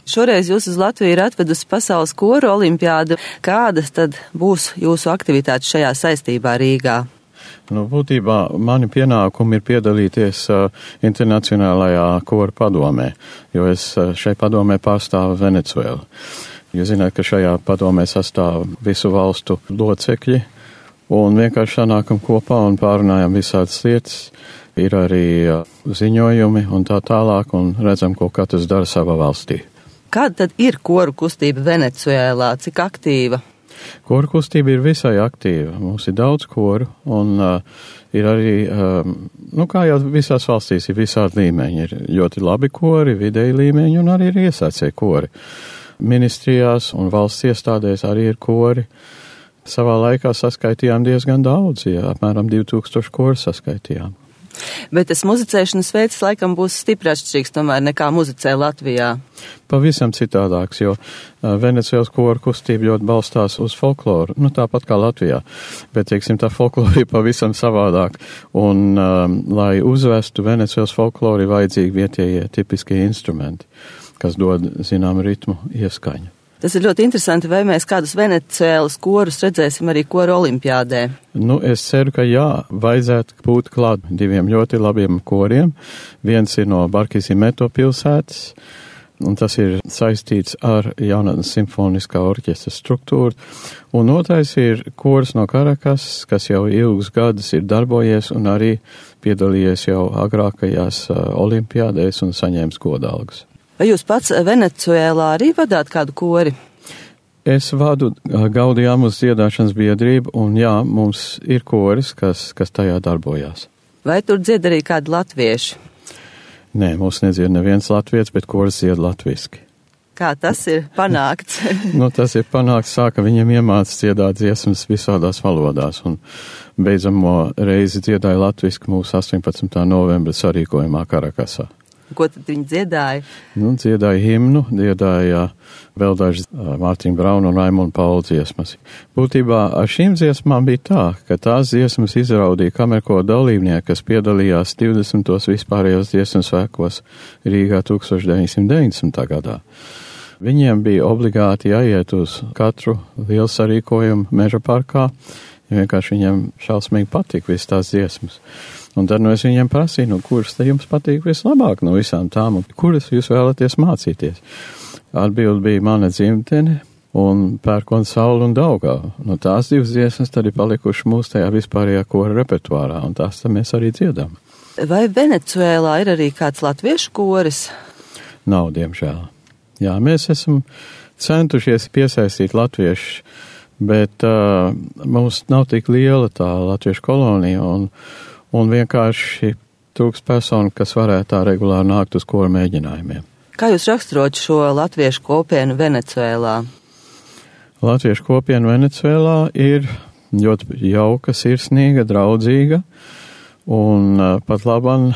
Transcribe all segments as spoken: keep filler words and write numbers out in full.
Šoreiz jūs uz Latviju ir atvedusi Pasaules koru olimpiādu. Kādas tad būs jūsu aktivitātes šajā saistībā Rīgā? Nu, būtībā mani pienākumi ir piedalīties uh, internacionālajā koru padomē, jo es uh, šai padomē pārstāvu Venecuēlu. Jūs zināt, ka šajā padomē sastāv visu valstu locekļi, un vienkārši sanākam kopā un pārunājam visādas lietas. Ir arī uh, ziņojumi un tā tālāk, un redzam, ko katrs dara savā valstī. Kāda tad ir koru kustība Venecuēlā? Cik aktīva? Koru kustība ir visai aktīva. Mums ir daudz koru, un uh, ir arī, um, nu kā jau visās valstīs, ir visādi līmeņi. Ir ļoti labi kori, vidēji līmeņi, un arī ir iesācēji kori. Ministrijās un valsts iestādēs arī ir kori. Savā laikā saskaitījām diezgan daudz, ja apmēram divi tūkstoši koru saskaitījām. Bet tas muzicēšanas veids laikam būs stipri atšķirīgs tomēr nekā muzicē Latvijā. Pavisam citādāks, jo Venecuēlas koru kustība ļoti balstās uz folkloru, nu tāpat kā Latvijā, bet, teiksim, tā folklora ir pavisam savādāk, un, um, lai uzvestu Venecuēlas folkloru, ir vajadzīgi vietējie tipiskie instrumenti, kas dod, zinām, ritmu ieskaņu. Tas ir ļoti interesanti, vai mēs kādus Venecuēlas korus redzēsim arī koru olimpiādē. Nu, es ceru, ka jā, vajadzētu būt klāt diviem ļoti labiem koriem. Viens ir no Barquisimeto pilsētas, un tas ir saistīts ar jaunatnes simfoniskā orķestra struktūru. Un otrais ir kors no Karakas, kas jau ilgus gadus ir darbojies un arī piedalījies jau agrākajās uh, olimpiādēs un saņēmis godalgas. Vai jūs pats Venecuēlā arī vadāt kādu kori? Es vadu Gaudiamus dziedāšanas biedrību, un jā, mums ir koris, kas, kas tajā darbojās. Vai tur dzied arī kādi latvieši? Nē, mums nedzied neviens latvietis, bet koris dzied latviski. Kā tas ir panākts? Nu, tas ir panākts, sāka viņam iemāc dziedāt dziesmas visādās valodās, un beidzamo reizi dziedāja latviski mūsu astoņpadsmitā novembra sarīkojumā Karakasā. Ko tad viņi dziedāja? Nu, dziedāja himnu, dziedāja vēl dažas Mārtiņa Brauna un Raimunda Paula dziesmas. Būtībā ar šīm dziesmām bija tā, ka tās dziesmas izraudīja kamerko dalībnieki, kas piedalījās divdesmitos vispārējos dziesmu svētkos Rīgā tūkstoš deviņsimt deviņdesmitā gadā. Viņiem bija obligāti jāiet uz katru lielu sarīkojumu Meža parkā, ja vienkārši viņiem šausmīgi patika visas tās dziesmas. Un tad nu es viņiem prasīju, nu, kuras te jums patīk vislabāk no visām tām, un kuras jūs vēlaties mācīties. Atbildi bija mana dzimtene un Pērkona saule un Daugava. Nu, tās divas dziesmas tad ir palikušas mūsu tajā vispārējā kora repertuārā, un tās tad mēs arī dziedam. Vai Venecuēlā ir arī kāds latviešu koris? Nav, diemžēl. Jā, mēs esam centušies piesaistīt latviešus, bet uh, mums nav tik liela tā latviešu kolonija, un un vienkārši trūks personu, kas varētu tā regulāri nākt uz koru mēģinājumiem. Kā jūs raksturot šo latviešu kopienu Venecuēlā? Latviešu kopiena Venecuēlā ir ļoti jauka, sirsnīga, draudzīga, un uh, pat labam,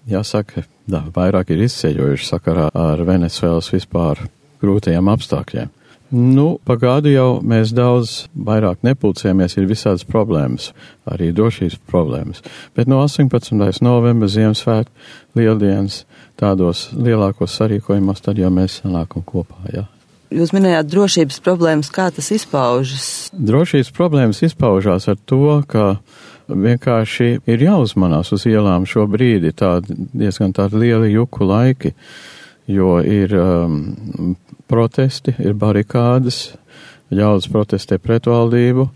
jāsaka, da, vairāk ir izceļojuši sakarā ar Venecuēlas vispār grūtajiem apstākļiem. Nu, pa gadu jau mēs daudz vairāk nepulcējamies, ir visādas problēmas, arī drošības problēmas. Bet no astoņpadsmitais novembra Ziemassvētku lieldienas tādos lielākos sarīkojumos, tad jau mēs sanākam kopā, jā. Jūs minējāt drošības problēmas, kā tas izpaužas? Drošības problēmas izpaužās ar to, ka vienkārši ir jāuzmanās uz ielām šobrīd, ir tādi, diezgan tādi lieli juku laiki, jo ir um, protesti, ir barikādes, ļaudis protestē pret valdību.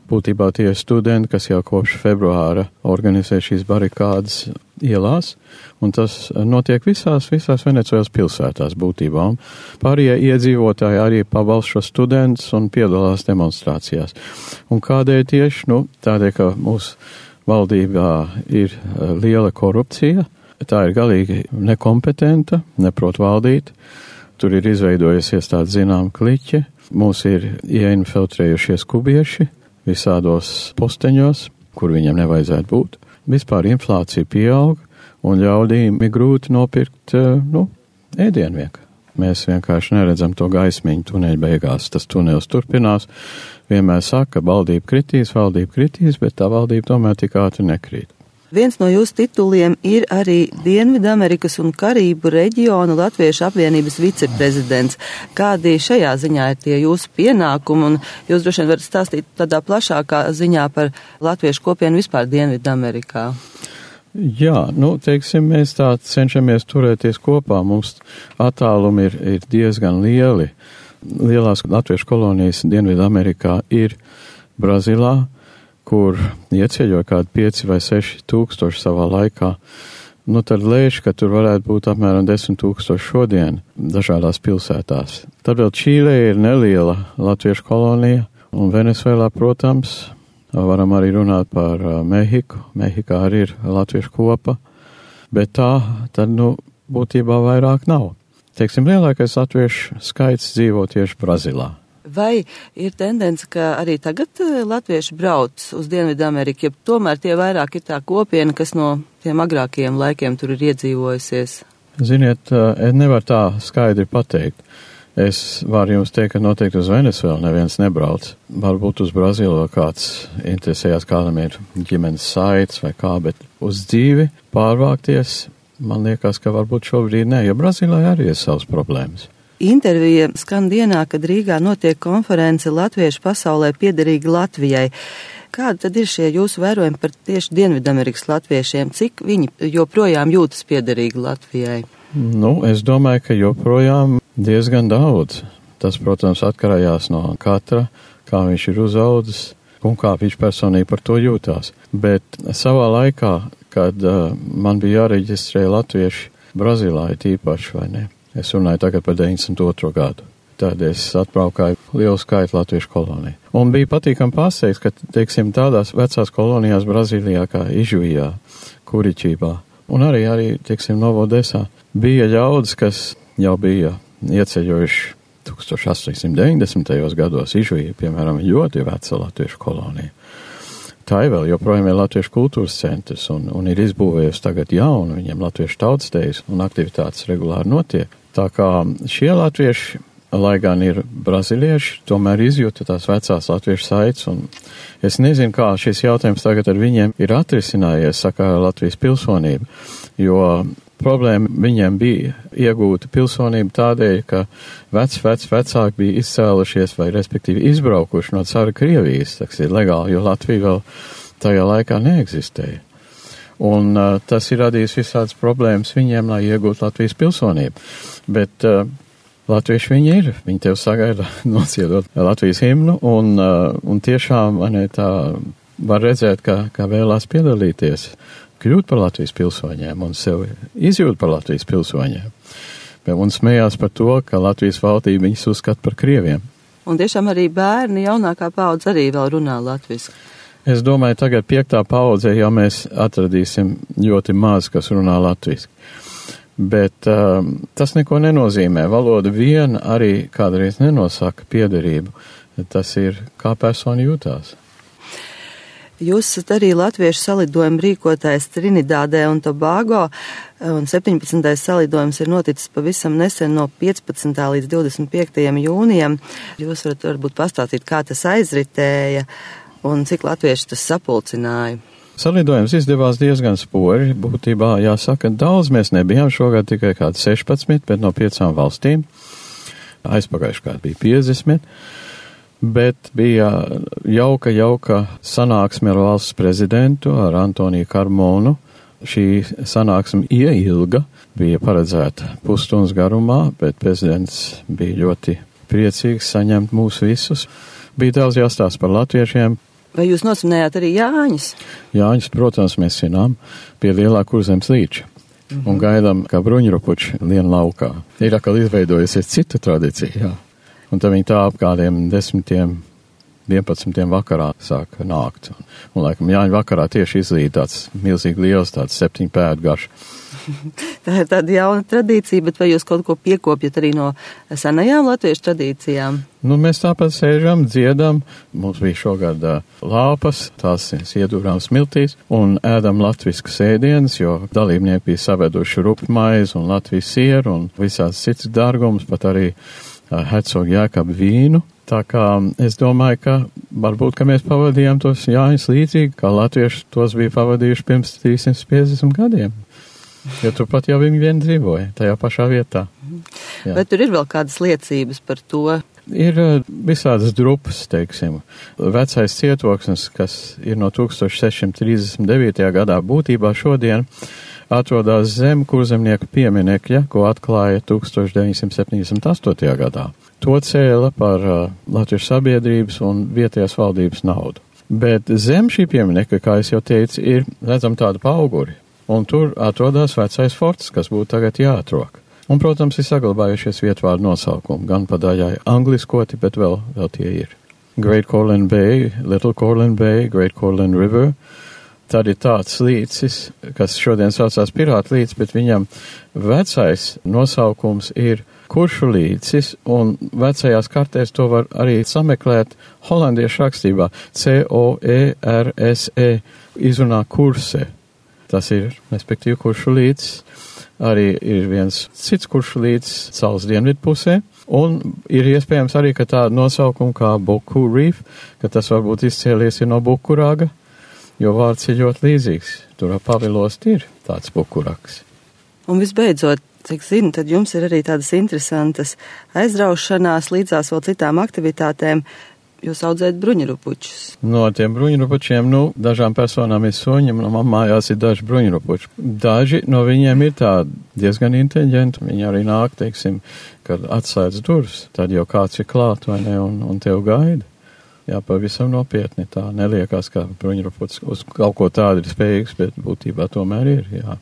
Būtībā tie ir studenti, kas jau kopš februāra organizē šīs barikādes ielās, un tas notiek visās, visās Venecuēlas pilsētās būtībā. Un pārējie iedzīvotāji arī pabalsta šos studentus un piedalās demonstrācijās. Un kādēļ tieši? Nu, tādēļ, ka mūsu valdībā ir liela korupcija, tā ir galīgi nekompetenta, neprot valdīt. Tur ir izveidojusies tāda zinām kliķe, mūs ir ieinfiltrējušies kubieši visādos posteņos, kur viņiem nevajadzētu būt. Vispār inflācija pieaug, un ļaudīm ir grūti nopirkt, nu, ēdienu vienkārši. Mēs vienkārši neredzam to gaismiņu tuneļa beigās. Tas tunelis turpinās, vienmēr saka, ka valdība kritīs, valdība kritīs, bet tā valdība tomēr tik ātri nekrīt. Viens no jūsu tituliem ir arī Dienvidamerikas un Karību reģionu Latviešu apvienības viceprezidents. Kādi šajā ziņā ir tie jūsu pienākumi, un jūs droši vien varat stāstīt tādā plašākā ziņā par latviešu kopienu vispār Dienvidamerikā? Jā, nu, teiksim, mēs tā cenšamies turēties kopā. Mums attālumi ir, ir diezgan lieli. Lielās latviešu kolonijas Dienvidamerikā ir Brazilā, kur ieceļoja kādi pieci vai seši tūkstoši savā laikā. Nu, tad lēš, ka tur varētu būt apmēram desmit tūkstoši šodien dažādās pilsētās. Tad vēl Čīlē ir neliela latviešu kolonija, un Venezuelā, protams, varam arī runāt par Mehiku. Mehikā arī ir latviešu kopa, bet tā tad, nu, būtībā vairāk nav. Teiksim, lielākais latviešu skaits dzīvo tieši Brazilā. Vai ir tendence, ka arī tagad latvieši brauc uz Dienvidameriku, ja tomēr tie vairāk ir tā kopiena, kas no tiem agrākajiem laikiem tur ir iedzīvojusies? Ziniet, es nevaru tā skaidri pateikt. Es varu jums teikt, ka noteikti uz Venezuelu neviens nebrauc. Varbūt uz Brazilu kāds interesējās, kādam ir ģimenes saites vai kā, bet uz dzīvi pārvākties, man liekas, ka varbūt šobrīd ne, jo Brazīlā arī ir savas problēmas. Intervija skan dienā, kad Rīgā notiek konference Latviešu pasaulē piederīgi Latvijai. Kādi tad ir šie jūsu vērojumi par tieši Dienvidamerikas latviešiem? Cik viņi joprojām jūtas piederīgi Latvijai? Nu, es domāju, ka joprojām diezgan daudz. Tas, protams, atkarējās no katra, kā viņš ir uzaudzis un kā viņš personīgi par to jūtās. Bet savā laikā, kad uh, man bija jāreģistrē latvieši Brazīlā, ir tīpaši, vai ne? Es runāju tagad par deviņdesmit otro gadu. Tad es atbraukāju lielu skaitu latviešu koloniju. Un bija patīkami pārsteigts, ka, teiksim, tādās vecās kolonijās Brazīlijā kā Ižujā, Kuričībā un arī, arī, teiksim, Novodesā bija ļaudis, kas jau bija ieceļojuši tūkstoš astoņsimt deviņdesmitajos gados. Ižujā, piemēram, ļoti veca latviešu kolonija. Tā ir vēl joprojām ir latviešu kultūras centrs un, un ir izbūvējusi tagad jaunu, viņiem latviešu tautstejas un aktivitātes regulāri notiek. Tā kā šie latvieši, lai gan ir brazilieši, tomēr izjūta tās vecās latviešu saites, un es nezinu, kā šis jautājums tagad ar viņiem ir atrisinājies, saka Latvijas pilsonība, jo problēma viņiem bija iegūta pilsonība tādēļ, ka vec, vec, vecāki bija izcēlušies vai respektīvi izbraukuši no cara Krievijas, tas ir legāli, jo Latvija vēl tajā laikā neeksistēja. Un uh, tas ir radījis visādas problēmas viņiem, lai iegūtu Latvijas pilsonību. Bet uh, latvieši viņi ir, viņi tev sagaida nociedot Latvijas himnu, un, uh, un tiešām man tā var redzēt, ka, ka vēlās piedalīties, kļūt par Latvijas pilsoņiem un sev izjūt par Latvijas pilsoņiem. Un smējās par to, ka Latvijas valdība viņus uzskata par krieviem. Un tiešām arī bērni, jaunākā paudze arī vēl runā latviski. Es domāju, tagad piektā paudzē jau mēs atradīsim ļoti maz, kas runā latviski. Bet um, tas neko nenozīmē. Valoda viena arī kādreiz nenosaka piederību. Tas ir, kā persona jūtās. Jūs esat arī latviešu salidojumu rīkotājs Trinidādē un Tobago, un septiņpadsmitais salidojums ir noticis pavisam nesen no piecpadsmitā līdz divdesmit piektajam jūnijam. Jūs varat varbūt pastāstīt, kā tas aizritēja un cik latvieši tas sapulcināja. Salidojums izdevās diezgan spori. Būtībā jāsaka, daudz mēs nebijām šogad tikai kādi sešpadsmit, bet no piecām valstīm. Aizpagājuši kādi bija piecdesmit. Bet bija jauka, jauka sanāksme ar valsts prezidentu, ar Antoniju Karmonu. Šī sanāksme ieilga, bija paredzēta pusstundas garumā, bet prezidents bija ļoti priecīgs saņemt mūs visus. Bija daudz jāstāsta par latviešiem. Vai jūs nosvinējāt arī Jāņus? Jāņus, protams, mēs svinām pie lielā Kurzemes līča. Mm-hmm. Un gaidām, kā bruņurupuči lien laukā. Ir atkal izveidojusies cita tradīcija, jā. Un tad viņi tā ap kādiem desmitiem, vienpadsmitiem vakarā sāk nākt. Un, un laikam Jāņu vakarā tieši izlīd tāds milzīgi liels, tāds septiņu pēdu garš. Tā ir tāda jauna tradīcija, bet vai jūs kaut ko piekopjat arī no senajām latviešu tradīcijām? Nu, mēs tāpat sēžam, dziedam. Mums bija šogad uh, lāpas, tās iedūrām smiltīs, un ēdam latviskas ēdienas, jo dalībnieki bija saveduši rupmaizi un Latvijas sieru un visāds cits dārgums, pat arī uh, hercogu Jēkabu vīnu. Tā kā es domāju, ka varbūt, ka mēs pavadījām tos Jāņus līdzīgi, kā latvieši tos bija pavadījuši pirms trīssimt piecdesmit gadiem. Jo tu pat jau viņi vien dzīvoja tajā pašā vietā. Jā. Bet tur ir vēl kādas liecības par to? Ir visādas drupas, teiksim. Vecais cietoksnis, kas ir no tūkstoš seši simti trīsdesmit devītajā gadā, būtībā šodien atrodas zem kurzemnieku pieminekļa, ko atklāja tūkstoš deviņsimt septiņdesmit astotajā gadā. To cēla par uh, Latviešu sabiedrības un vietējās valdības naudu. Bet zem šī pieminekļa, kā es jau teicu, ir redzam tāda pauguri. Un tur atrodas vecais forts, kas būtu tagad jāatrok. Un, protams, ir saglabājušies vietvārdu nosaukumi, gan pa daļai angliskoti, bet vēl, vēl tie ir. Great Corlin Bay, Little Corlin Bay, Great Corlin River. Tad ir tāds līcis, kas šodien saucās Pirātu līcis, bet viņam vecais nosaukums ir Kuršu līcis, un vecajās kartēs to var arī sameklēt holandiešu rakstībā. C O E R S E izrunā kurse. Tas ir, respektīvi, Kuršu līcis. Arī ir viens cits Kuršu līcis salas dienvidu pusē. Un ir iespējams arī, ka tāda nosaukuma kā Buku Reef, ka tas varbūt izcēlies ir no Bukurāga, jo vārds ir ļoti līdzīgs. Tur Pavilos ir tāds bukuraks. Un visbeidzot, cik zinu, tad jums ir arī tādas interesantas aizraušanās līdzās vēl citām aktivitātēm. Jūs audzējat bruņurupučus. No tiem bruņurupučiem, nu, dažām personām ir suņi, man mājās ir daži bruņurupuči. Daži no viņiem ir tādi diezgan inteliģenti. Viņi arī nāk, teiksim, kad atslēdz durvis, tad jau kāds ir klāt, vai ne, un, un tev gaida. Jā, pavisam nopietni tā neliekās, ka bruņurupucis uz kaut ko tādu ir spējīgs, bet būtībā tomēr ir, jā.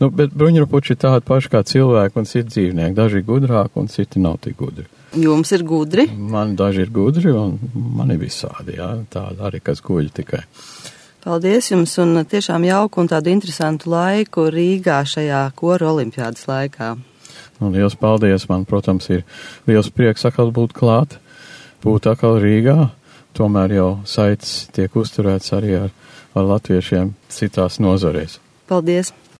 Nu, bet bruņurupuči ir tādi paši kā cilvēki un citi dzīvnieki. Daži ir gudrāki un citi nav tik gudri. Jums ir gudri? Man daži ir gudri un man ir visādi, jā, tādi arī, kas guļ tikai. Paldies jums un tiešām jauku un tādu interesantu laiku Rīgā šajā koru olimpiādas laikā. Un liels paldies, man, protams, ir liels prieks atkal būt klāt, būt atkal Rīgā. Tomēr jau saites tiek uzturēts arī ar, ar latviešiem citās nozarēs. Paldies!